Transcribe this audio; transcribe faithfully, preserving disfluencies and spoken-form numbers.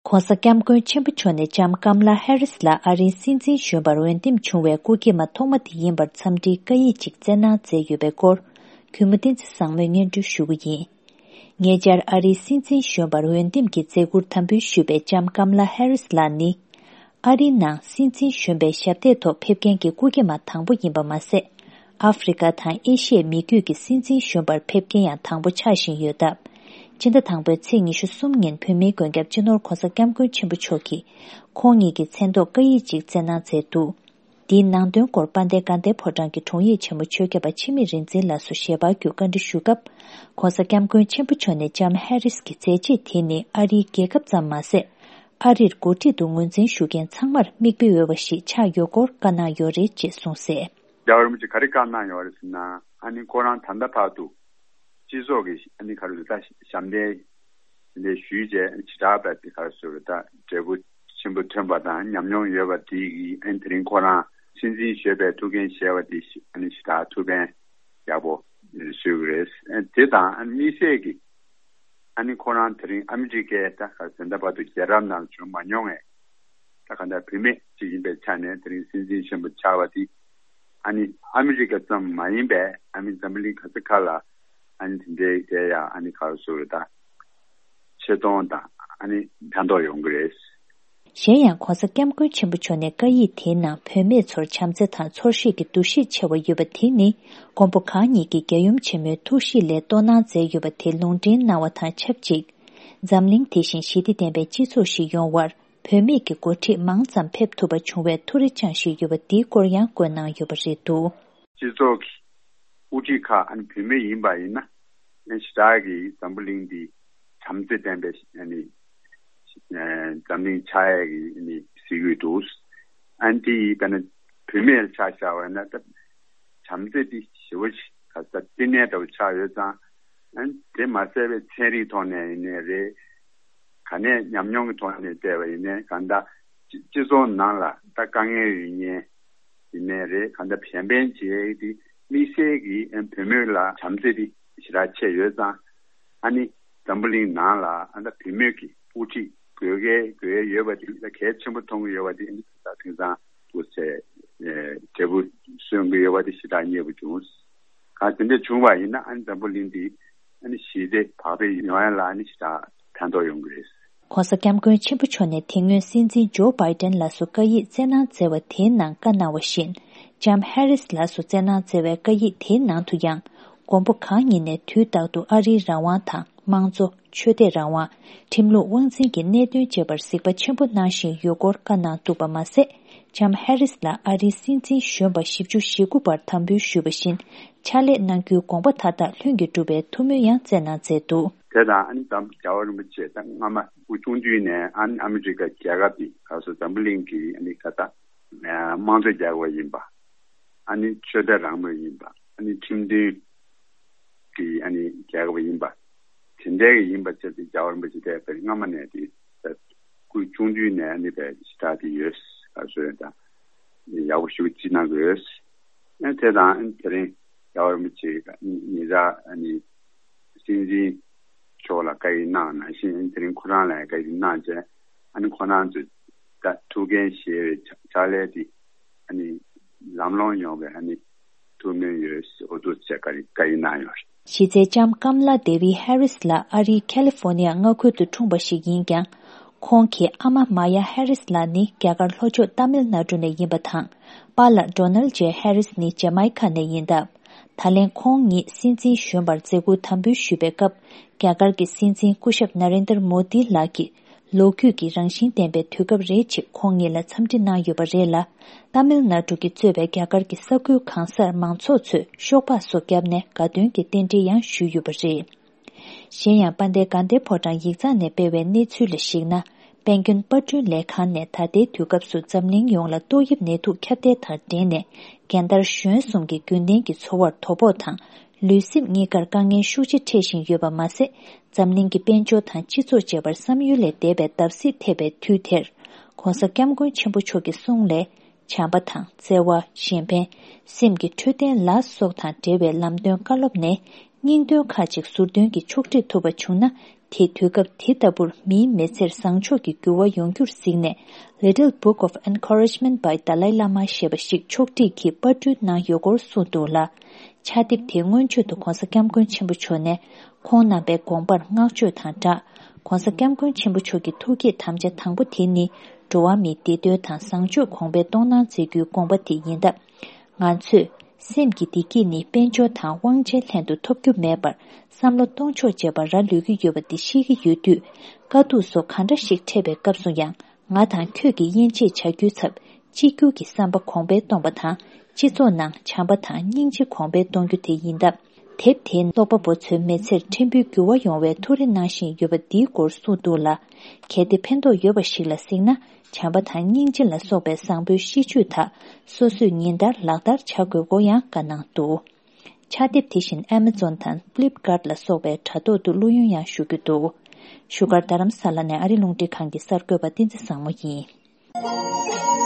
༧གོང་ས་༧སྐྱབས་མགོན་ཆེན་པོ་མཆོག་ནས་ལྕམ་ཀམ་ལ་ཧེ་རིས་ལ་ཨ་རིའི་སྲིད་འཛིན་གཞོན་པར་འོས་འདེམས་བྱུང་བའི་སྐུ་སྐྱེས་མ་ཐོག་མ་དེ་ཡིན་པར་འཚམས་འདྲིའི་བཀའ་ཡིག་ཅིག་བསྩལ་གནང་མཛད་ཡོད་པའི་སྐོར། གུས་མོ་བསྟན་འཛིན་བཟང་མོས་སྙན་སྒྲོན་ཞུ་གི་ཡིན། ཉེ་ཆར་ཨ་རིའི་སྲིད་འཛིན་གཞོན་པར་འོས་འདེམས་ཀྱི་མཛད་ཁུར་དམ་འབུལ་ཞུས་པའི་ལྕམ་ཀམ་ལ་ཧེ་རིས་ལགས་ནི། ཨ་རིའི་ནང་སྲིད་འཛིན་གཞོན་པའི་ཞབས་སྟེགས་ཐོག་ཕེབས་མཁན་གྱི་སྐུ་སྐྱེས་མ་དང་པོ་ཡིན་པ་མ་ཟད། ཨ་ཧྥེ་རི་ཁ་དང་ཨེ་ཤི་ཡའི་མི་རྒྱུད་ཀྱི་སྲིད་འཛིན་གཞོན་པར་ཕེབས་མཁན་ཡང་དང་པོ་ཆགས་བཞིན་ཡོད་སྟབས། སྤྱི་ཟླ་དང་པོའི་ཚེས་ཉི་ཤུ་གསུམ་ཉིན་བོད་མིའི་མགོན་སྐྱབས་སྤྱི་ནོར་༧གོང་ས་༧སྐྱབས་མགོན་ཆེན་པོ་མཆོག་གིས་ཁོང་ཉིད་ཀྱི་མཚན་ཐོག་བཀའ་ཡིག་ཅིག་བསྩལ་གནང་མཛད་འདུག་འདིའི་ནང་དོན་སྐོར་དཔལ་ལྡན་དགའ་ལྡན་ཕོ་བྲང་གི་དྲུང་ཡིག་ཆེན་མོ་ཆོས་སྐྱབས་པ་འཆི་མེད་རིག་འཛིན་ལགས་སུ་ཞལ་པར་བརྒྱུད་བཀའ་འདྲི་ཞུས་སྐབས། ༸གོང་ས་༸སྐྱབས་མགོན་ཆེན་པོ་མཆོག་ནས་ལྕམ་ཧེ་རིས་ཀྱི་མཛད་རྗེས་དེ་ནི་ཨ་རིའི་རྒྱལ་ཁབ་ཙམ་མ་ཟད། ཨ་རིར་འགོ་ཁྲིད་དུ་ངོས་འཛིན་ཞུ་མཁན་ཚང་མར་མིག་དཔེ་འོས་པ་ཞིག་ཆགས་ཡོད་སྐོར་བཀའ་གནང་ཡོད་རེད་ཅེས་གསུངས་གསལ། རྒྱལ་བ་རིན་པོ་ཆེ་ག་རེ་བཀའ་གནང་ཡོད་རེད་ཟེར་ན། ཨ་ནི་ཁོ་རང་ད་ལྟ་བར་དུ་སྤྱི་ཚོགས་ཀྱི་ཨ་ནི་ག་རེ་ཟེར་ད་ཞབས་འདེགས་དེ་འདྲ་ཞུས་རྗེས་ཨ་ནི་ཇི་ལྟར་བས་དེ་ག་རེ་ཟེར་ད་འབྲས་བུ་ཆེན་པོ་ཐོན་པ་དང་ཉམས་མྱོང་ཡོད་པ་དེ་གིས་ཨ་ནི་དེ་རིང་ཁོ་རང་སྲིད་འཛིན་གཞོན་པའི་ཐུགས་འགན་བཞེས་པ་དེ་ཨ་ནི་ཇི་ལྟར་ཐུགས་ཕན་ཡག་པོ་གསོས་ཀྱི་རེད། ཨ་ནི་དེ་དང་ཨ་ནི་དམིགས་བསལ་གྱི་ཨ་ནི་ཁོ་རང་དེ་རིང་ཨ་མི་རི་ཀའི་ད་ག་ཟེར་ད་བར་དུ་རྒྱལ་རབས་ནང་བྱུང་མ་མྱོང་བའི་ད་ག་འདྲ་བུད་མེད་ཅིག་ཡིན་པའི་ཆ་ནས་དེ་རིང་སྲིད་འཛིན་གཞོན་པ་ཆགས་པ་དེ་ཨ་ནི་ཨ་མི་རི་ཀ་ཙམ་མ་ཡིན་པའི་ཨ་ནི་འཛམ་བུ་གླིང་ག་ས་ག་ལ་ཨ་ནི་དེ་འདྲའི་དེ་ཡང་ཨ་ནི་ག་རེ་ཟེར་ད་ཆེ་མཐོང་དང་ཨ་ནི་ཕན་ཐོགས་ཡོང་གི་རེད། གཞན་ཡང་༸གོང་ས་༸སྐྱབས་མགོན་ཆེན་པོ་མཆོག་ནས་བཀའ་ཡིག་དེའི་ནང་བུད་མེད་ཚོར་བྱམས་བརྩེ་དང་ཚོར་ཤེས་ཀྱི་འདུ་ཤེས་ཆེ་བ་ཡོད་པ་དེ་ནི་མགོན་པོ་གང་ཉིད་ཀྱིས་རྒྱལ་ཡུམ་ཆེན་མོའི་ཐུགས་གཤིས་ལས་རྟོགས་གནང་མཛད་ཡོད་པ་དེ་ལུང་འདྲེན་གནང་བ་དང་ཆབས་ཅིག་འཛམ་གླིང་དེ་བཞིན་ཞི་བདེ་ལྡན་པའི་སྤྱི་ཚོགས་ཤིག་ཡོང་བར་བུད་མེད་ཀྱི་འགོ་ཁྲིད་མང་ཙམ་ཕེབས་ཐུབ་པ་བྱུང་བའི་ཐུགས་རེ་བཅངས་བཞིན་ཡོད་པ་འདིའི་སྐོར་ཡང་བཀོད་གནང་ཡོད་པ་རེད་འདུག་སྤྱི་ཚོགས་ཀྱི་དབུ་ཁྲིད་ཁག་ཨ་ནི་བུད་མེད་ཡིན་པ་ཡིན་ན་ཨ་ནི་ཞེ་དྲག་གི་འཛམ་བུ་གླིང་འདི་བྱམས་བརྩེ་ལྡན་པའི་ཨ་ནི་ཨ་འཛམ་གླིང་ཆགས་ཡས་ཀྱི་ཨ་ནི་གཟིགས་ཡོད་འདུག་ཨ་ནི་དེ་ཡིས་ད་ནི་བུད་མེད་ལ་ཆ་བཞག་པ་ཡིན་ན་ད་བྱམས་བརྩེ་འདི་ཞེ་པོ་ཞིག་ག་ས་བསྟི་གནས་འདྲ་བོ་ཆགས་ཡོད་ཙང་ཨ་ནི་དེ་མ་ཟད་པའི་ཚན་རིག་ཐོག་ནས་ཡིན་ནའི་རེད། ག་ནས་ཉམས་མྱོང་གི་ཐོག་ནས་བལྟས་པ་ཡིན་ནའི་གང་ལྟར་སྤྱི་སྤྱི་ཚོགས་ནང་ལ་ད་དཀའ་ངལ་ཡོད་མཁན་ཡིན་ནའི་རེད། གང་ལྟར་གཞན་ཕན་བྱེད་ཡས་དེ་དམིགས་བསལ་གྱི་ཨ་བུད་མེད་ལ་བྱམས་བརྩེ་དེ་ཞེ་དྲག་ཆེ་ཡོད་ཙང་ཨ་ནི་འཛམ་བུ་གླིང་ནང་ལ་ཨ་ད་བུད་མེད་ཀྱི་དབུ་ཁྲིད་དགོས་གལ་དགོས་ཡས་ཡོད་པ་དེ་ད་གལ་ཆེན་པོ་མཐོང་གི་ཡོད་པ་དེ་ཨ་ནི་ད་དེང་སང་དུ་ཚེ་འབྲས་བུ་སོན་གྱི་ཡོད་པ་དེ་ཞེ་དྲག་མཉེས་པོ་བྱུང་། གང་དེ་འདྲ་བྱུང་བ་ཡིན་ན་ཨ་ནི་འཛམ་བུ་གླིང་འདི་ཨ་ནི་ཞི་བདེ་བག་ཕེབས་ཡོང་ཡ་ལ་ཨ་ནི་ཞེ་དྲག་ཕན་ཐོགས་ཡོང་གི་རེད། ༸གོང་ས་༸སྐྱབས་མགོན་ཆེན་པོ་མཆོག་ནས་དེ་སྔོན་སྲིད་འཛིན་ཇོ་བྷའི་ཏན་ལགས་སུ་བཀའ་ཡིག་བསྩལ་གནང་མཛད་པ་དེའི་ནང་བཀའ་གནང་བ་བཞིན། ལྕམ་ཧེ་རིས་ལགས་སུ་བསྩལ་གནང་མཛད་པའི་བཀའ་ཡིག་དེའི་ནང་དུ་ཡང་། མགོན་པོ་གང་ཉིད་ནས་དུས་རྟག་ཏུ་ཨ་རིའི་རང་དབང་དང་། དམངས་གཙོ། ཆོས་དད་རང་དབང་། ཁྲིམས་ལུགས་དབང་འཛིན་གྱི་གནད་དོན་དཔྱད་པར་གཟིགས་པ་ཆེན་པོ་གནང་བཞིན་ཡོད་སྐོར་བཀའ་གནང་འདུག་པ་མ་ཟད། ལྕམ་ཧེ་རིས་ལ་ཨ་རིའི་སྲིད་འཛིན་གཞོན་པ་བཞི་བཅུ་ཞེ་དགུ་པར་དམ་འབུལ་ཞུས་པ་བཞིན། ཕྱག་ལས་གནང་རྒྱུའི་དགོངས་པ་མཐའ་དག་ལྷུན་གྱིས་གྲུབ་པའི་ཐུགས་སྨོན་ཡང་བསྩལ་གནང་མཛད་འདུག་དེ་དང་ཨ་ནི་ད་རྒྱལ་བ་རིན་པོ་ཆེ་ད་སྔ་མ་སྐུ་ཆུང་དུས་ནས་ཨ་ནི་ཨ་མི་རི་ཀ་རྒྱལ་ཁབ་འདི་ག་སོ་འཛམ་བུ་གླིང་གི་ཨ་ནི་ད་ལྟ་དམངས་གཙོ་རྒྱལ་ཁབ་ཡིན་པ། ཨ་ནི་ཆོས་དད་རང་མོས་ཡིན་པ། ཨ་ནི་ཁྲིམས་མཐུན་གྱི་ཨ་ནི་རྒྱལ་ཁབ་ཡིན་པ། དེ་འདྲའི་ཡིན་པ་བྱས་ཏེ་རྒྱལ་བ་རིན་པོ་ཆེ་དེ་སྔ་མ་ནས་དེ་སྐུ་ཆུང་དུས་ནས་ཨ་ནི་བས་ཞེ་དྲག་དེ་ཡོད་ཟེར་ད་ཡག་པོ་ཞེ་པོ་ཅིག་གནང་དགོས། ཨ་དེ་དང་དེ་རིང་རྒྱལ་བ་རིན་པོ་ཆེ་ཉེ་ཆར་ཨ་ནི་སྲིད་འཛིན་མཆོག་ལ་བཀའ་ཡིག་གནང་ནང་བཞིན་དེ་རིང་ཁོ་རང་ལ་བཀའ་ཡིག་གནང་རྗེས་ཨ་ནི་ཁོ་རང་ཚོས་ད་ཐུགས་འགན་བཞེས་པའི་ཕྱག་ལས་དེ་ཨ་ནི་ལམ་ལྷོང་ཡོང་བའི་ཨ་ནི་ཐུགས་སྨོན་ཡོད་ཟེར་འོ་འདུག་ཅེས་བཀའ་ཡིག་གནང་ཡོད་རེད། གཞི་རྩའི་ལྕམ་ཀམ་ལ་དེ་བི་ཧེ་རིས་ལགས་ཨ་རིའི་ཁ་ལི་ཧྥོ་ནི་ཡ་མངའ་ཁུལ་དུ་འཁྲུངས་པ་ཞིག་ཡིན་ཀྱང་། ཁོང་གི་ཨ་མ་མ་ཡ་ཧེ་རིས་ལགས་ནི་རྒྱ་གར་ལྷོ་ཕྱོགས་ཏཱ་མིལ་ནཱ་ཌུ་ནས་ཡིན་པ་དང་། པཱ་ལགས་ཌོ་ནལ་ཇེ་ཧེ་རིས་ནི་ཇེ་མའི་ཁ་ནས་ཡིན་སྟབས། ད་ལན་ཁོང་ཉིད་སྲིད་འཛིན་གཞོན་པར་མཛད་ཁུར་དམ་འབུལ་ཞུས་པའི་སྐབས། རྒྱ་གར་གྱི་སྲིད་འཛིན་སྐུ་ཞབས་ན་རེན་དར་མོ་དི་ལགས་ཀྱིས་ལོ་རྒྱུས་ཀྱི་རང་བཞིན་ལྡན་པའི་དུས་སྐབས་རེད་ཅེས་ཁོང་ཉིད་ལ་འཚམས་འདྲི་གནང་ཡོད་པ་རེད་ལ། ཏཱ་མིལ་ནཱ་ཌུ་གིས་གཙོས་པའི་རྒྱ་གར་གྱི་ས་ཁུལ་གང་སར་མང་ཚོགས་ཚོས་ཤོག་སྦག་སོགས་བརྒྱབ་ནས་དགའ་སྟོན་གྱི་རྟེན་འབྲེལ་ཡང་ཞུས་ཡོད་པ་རེད། གཞན་ཡང་དཔལ་ལྡན་དགའ་ལྡན་ཕོ་བྲང་ཡིག་ཚང་ནས་སྤེལ་བའི་གནས་ཚུལ་ལ་གཞིགས་ན། དཔལ་མགོན་དཔར་སྐྲུན་ལས་ཁང་ནས་ད་ལྟའི་དུས་སྐབས་སུ་འཛམ་གླིང་ཡོངས་ལ་ཏོག་དབྱིབས་ནད་དུག་ཁྱབ་གདལ་དང་འབྲེལ་ནས་རྒན་དར་གཞོན་གསུམ་གྱི་རྒྱུན་ལྡན་གྱི་འཚོ་བར་དོ་ཕོག་དང་། ལུས་སེམས་གཉིས་ཀར་དཀའ་ངལ་ཤུགས་ཆེ་འཕྲད་བཞིན་ཡོད་པ་མ་ཟད། འཛམ་གླིང་གི་དཔལ་འབྱོར་དང་སྤྱི་ཚོགས་བཅས་པར་བསམ་ཡུལ་ལས་འདས་པའི་བརྡབ་གསིག་ཐེབས་པའི་དུས་དེར། ྋགོང་ས་ྋསྐྱབས་མགོན་ཆེན་པོ་མཆོག་གི་གསུང་ལས། བྱམས་པ་དང་བརྩེ་བ། གཞན་ཕན། སེམས་ཀྱི་འཕྲོད་བསྟེན་ལ་སོགས་དང་འབྲེལ་བའི་ལམ་སྟོན་བཀའ་སློབ་ནས། སྙིང་དོན་ཁག་ཅིག་ཟུར་འདོན་གྱིས་ཕྱོགས་སྒྲིག་ཐུབ་པ་བྱུང་ན། དེས་དུས་སྐབས་དེ་ལྟ་བུར་མིའི་མི་ཚེར་བཟང་ཕྱོགས་ཀྱི་འགྱུར་བ་ཡོང་རྒྱུར་གཟིགས་ནས། Little Book of Encouragement by Dalai Lama ཞེས་པ་ཞིག་ཕྱོགས་སྒྲིག་གིས་པར་སྐྲུན་གནང་ཡོད་སྐོར་གསུངས་འདུག་ལ། ཕྱག་དེབ་དེའི་སྔོན་བརྗོད་དུ་༧གོང་ས་༧སྐྱབས་མགོན་ཆེན་པོ་མཆོག་ནས་ཁོང་རྣམ་པའི་དགོངས་པར་བསྔགས་བརྗོད་དང་སྦྲགས། ༧གོང་ས་༧སྐྱབས་མགོན་ཆེན་པོ་མཆོག་གི་ཐུགས་བསྐྱེད་དམ་བཅའ་དང་པོ་དེ་ནི། འགྲོ་བ་མིའི་བདེ་དོན་དང་བཟང་སྤྱོད་གོང་འཕེལ་གཏོང་གནང་མཛད་རྒྱུའི་དགོངས་པ་དེ་ཡིན་སྟབས། ང་ཚོས་སེམས་ཀྱི་བདེ་སྐྱིད་ནི་དཔལ་འབྱོར་དང་དབང་ཆའི་ལྷན་དུ་ཐོབ་རྒྱུ་མེད་པར། བསམ་བློ་གཏོང་ཕྱོགས་བརྗེ་བར་རག་ལུས་ཀྱི་ཡོད་པ་འདི་ཤེས་ཀྱི་ཡོད་དུས། དཀའ་སྡུག་སོགས་གང་འདྲ་ཞིག་འཕྲད་པའི་སྐབས་སུ་ཡང་། ང་དང་ཁྱོད་ཀྱི་དབྱེ་འབྱེད་བྱ་རྒྱུའི་ཚབ། གཅིག་གྱུར་གྱི་བསམ་པ་གོང་འཕེལ་གཏོང་བ་དང་། སྤྱི་ཚོགས་ནང་བྱམས་པ་དང་སྙིང་རྗེ་གོང་འཕེལ་གཏོང་རྒྱུ་དེ་ཡིན་སྟབས། དེབ་དེས་ཀློག་པ་པོ་ཚོའི་མི་ཚེར་ཕྲན་བུའི་འགྱུར་བ་ཡོང་བའི་ཐུགས་རེ་གནང་བཞིན་ཡོད་པ་འདིའི་སྐོར་གསུངས་འདུག་ལ། གལ་ཏེ་ཕན་ཐོགས་ཡོད་པ་ཞིག་ལ་གཟིགས་ན། བྱམས་པ་དང་སྙིང་རྗེ་ལ་སོགས་པའི་བཟང་པོའི་གཤིས་སྤྱོད་དག་སོ་སོས་ཉིན་ལྟར་ལག་བསྟར་བྱ་དགོས་སྐོར་ཡང་བཀའ་གནང་འདུག་ཕྱག་དེབ་དེ་བཞིན་Amazon་དང་Flipkart་ལ་སོགས་པའི་དྲ་ཐོག་ཏུ་བླུ་ཡོན་ཡང་ཞུ་རྒྱུ་འདུག་བཞུགས་སྒར་རྡ་རམ་ས་ལ་ནས་ཨ་རི་རླུང་འཕྲིན་ཁང་གི་གསར་འགོད་པ་བསྟན་འཛིན་བཟང་མོ་ཡིན།